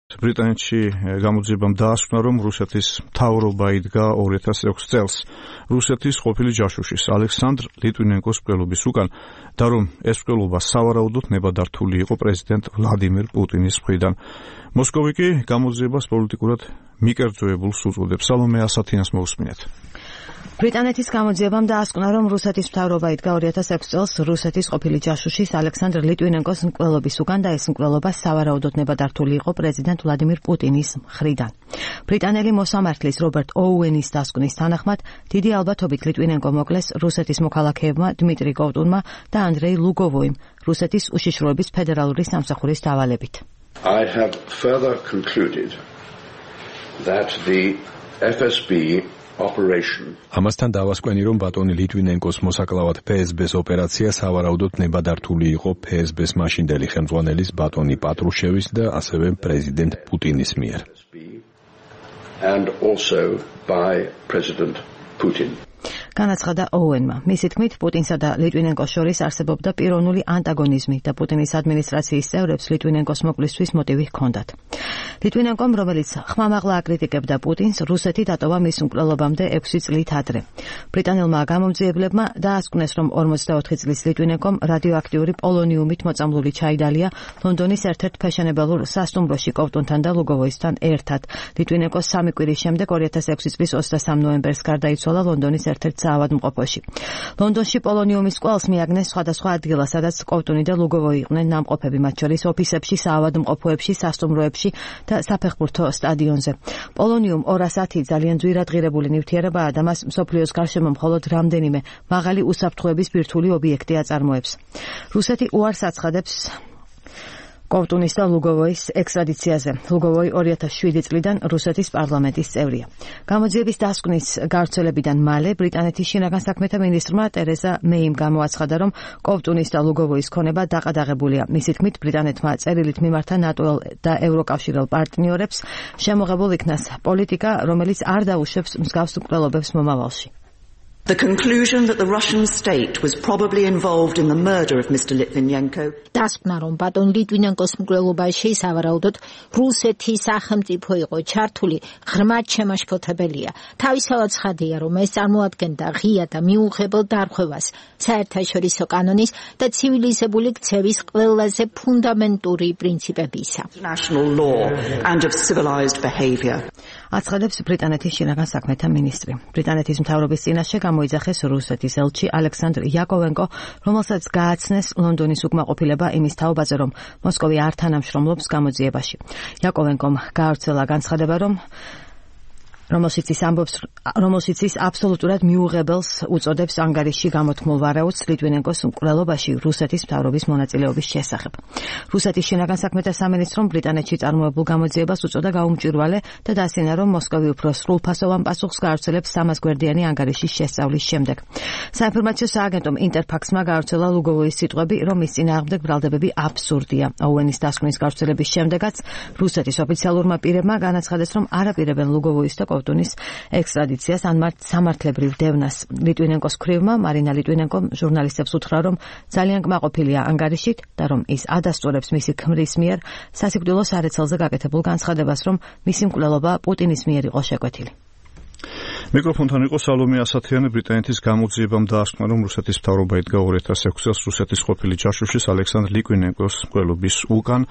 ბრიტანეთში გამოძიებამ დაასკვნა, რომ რუსეთის მთავრობა იდგა 2006 წელს რუსეთის ყოფილი ჯაშუშის ალექსანდრ ლიტვინენკოს მკვლელობის უკან და რომ ეს მკვლელობა სავარაუდოდ ნებადართული იყო პრეზიდენტ ვლადიმირ პუტინის მხრიდან. მოსკოვი კი გამოძიებას პოლიტიკურად მიკერძოებულს უწოდებს. სალომე ასათინას მოусმინეთ. ბრიტანეთის გამოძიებამ დაასკვნა, რომ რუსეთის მთავრობა იდგა 2006 წელს რუსეთის ყოფილი ჯაშუშის ალექსანდრ ლიტვინენკოს მკვლელობის უკან და ეს მკვლელობა სავარაუდოდ ნებადართული იყო პრეზიდენტ ვლადიმირ პუტინის მხრიდან. ბრიტანელი მოსამართლის რობერტ ოუენის დასკვნის თანახმად, დიდი ალბათობით ლიტვინენკო მოკლეს რუსეთის მოქალაქეებმა დმიტრი კოვტუნმა და ანდრეი ლუგოვოიმ რუსეთის უშიშროების ფედერალური სამსახურის დავალებით. I have further concluded that the FSB ამასთან დავასკვენი, რომ ბატონი ლიტვინენკოს მოსაკლავად FSB-ს ოპერაცია სავარაუდოდ ნებადართული იყო FSB-ს მაშინდელი ხელმძღვანელის ბატონი პატრუშევის და ასევე პრეზიდენტ პუტინის მიერ. And also by President Putin. განაცხადა ოუენმა. მისი თქმით, პუტინსა და ლიტვინენკოს შორის არსებობდა პიროვნული ანტაგონიზმი და პუტინის ადმინისტრაციის წევრებს ლიტვინენკოს მოკლისთვის მოტივი ჰქონდათ. ლიტვინენკომ, რომელიც ხმამაღლა აკრიტიკებდა პუტინს, რუსეთი დატოვა მის მკვლელობამდე 6 წლით ადრე. ბრიტანელმა გამომძიებლებმა დაასკვნეს, რომ 44 წლის ლიტვინენკომ რადიოაქტიური პოლონიუმით მოწამლული ჩაიდალია ლონდონის ერთ-ერთ ფეშენებელურ სასტუმროში კოვტუნთან და ლუგოვოისთან ერთად. ლიტვინენკოს 3 კვირის შემდეგ 2006 წლის 23 ნოემბერს გარდაიცვალა ლონდონის ერთ-ერთ საავადმყოფოში. ლონდონში პოლონიუმის კვალს მიაგნეს სხვადასხვა ადგილას, სადაც კოვტუნი და ლუგოვოი იყვნენ ნამყოფები, მათ შორის ოფისებში, საავადმყოფოებში, სასტუმროებში და საფეხბურთო სტადიონზე. პოლონიუმ 210 ძალიან ძვირადღირებული ნივთიერებაა და მას მსოფლიოს გარშემო მხოლოდ რამდენიმე მაღალი უსაფრთხოების ბირთვული ობიექტი აწარმოებს. რუსეთი უარს აცხადებს კოვტუნის და ლუგოვოის ექსტრადიციაზე. ლუგოვოი 2007 წლიდან რუსეთის პარლამენტის წევრია. გამოძიების დასკვნის გავრცელებიდან მალე ბრიტანეთის შინაგან საქმეთა მინისტრმა ტერეზა მეიმ გამოაცხადა, რომ კოვტუნის და ლუგოვოის ქონება დაყადაღებულია. მისი თქმით, ბრიტანეთმა წერილით მიმართა ნატოელ და ევროკავშირელ პარტნიორებს შემოღებულ იქნას პოლიტიკა, რომელიც არ დაუშვებს მსგავს მკვლელობებს მომავალში. The conclusion that the Russian state was probably involved in the murder of Mr. Litvinenko. დასკვნა, რომ ბატონ ლიტვინენკოს მკვლელობაში სავარაუდოდ რუსეთის სახელმწიფო იყო ჩართული, ღრმად შემაშფოთებელია. თავისთავად ცხადია, რომ ეს წარმოადგენდა ღია და მიუღებელ დარღვევას საერთაშორისო კანონის და ცივილიზებული ქცევის ყველაზე ფუნდამენტური პრინციპებისა. National law and of civilized behavior. აცხადებს ბრიტანეთის შინაგან საქმეთა მინისტრი. ბრიტანეთის მთავრობის წინაშე გამოიძახეს რუსეთის ელჩი ალექსანდრ იაკოვენკო, რომელსაც გააცნეს ლონდონის უკმაყოფილება იმის თაობაზე, რომ მოსკოვი არ თანამშრომლობს გამოძიებაში. იაკოვენკომ გაავრცელა განცხადება, რომელშიც ის აბსოლუტურად მიუღებელს უწოდებს ანგარიშში გამოთქმულ ვარაუდს ლიტვინენკოს მკვლელობაში რუსეთის მთავრობის მონაწილეობის შესახებ. რუსეთის შინაგან საქმეთა სამინისტრომ ბრიტანეთში წარმოებულ გამოძიებას უწოდა გაუმჭვირვალე და დასინა, რომ მოსკოვი უფრო სრულფასოვან პასუხს გაავრცელებს 300 გვერდიანი ანგარიშის შესწავლის შემდეგ. საინფორმაციო სააგენტომ ინტერფაქსმა გაავრცელა ლუგოვოის სიტყვები, რომ მის წინააღმდეგ ბრალდებები აბსურდია. ოუენის დასკვნის გავრცელების შემდეგაც რუსეთის ოფიციალურმა პირებმა განაცხადეს, რომ არ აპირებენ ლუგოვოის და კოვტუნის ექსტრადიციას ან სამართლებრივ დევნას. ლიტვინენკოს ქვრივმა მარინა ლიტვინენკომ ჟურნალისტებს უთხრა, რომ ძალიან კმაყოფილია ანგარიშით და რომ ის ადასტურებს მისი ქმრის მიერ სასიკვდილო სარეცელზე გაკეთებულ განცხადებას, რომ მისი მკვლელობა პუტინის მიერ იყო შეკვეთილი. მიკროფონთან იყო სალომე ასათიანი. ბრიტანეთის გამოძიებამ დაასკვნა, რომ რუსეთის მთავრობა იდგა 2006 წელს რუსეთის ყოფილი ჯაშუშის ალექსანდრ ლიტვინენკოს მკვლელობის უკან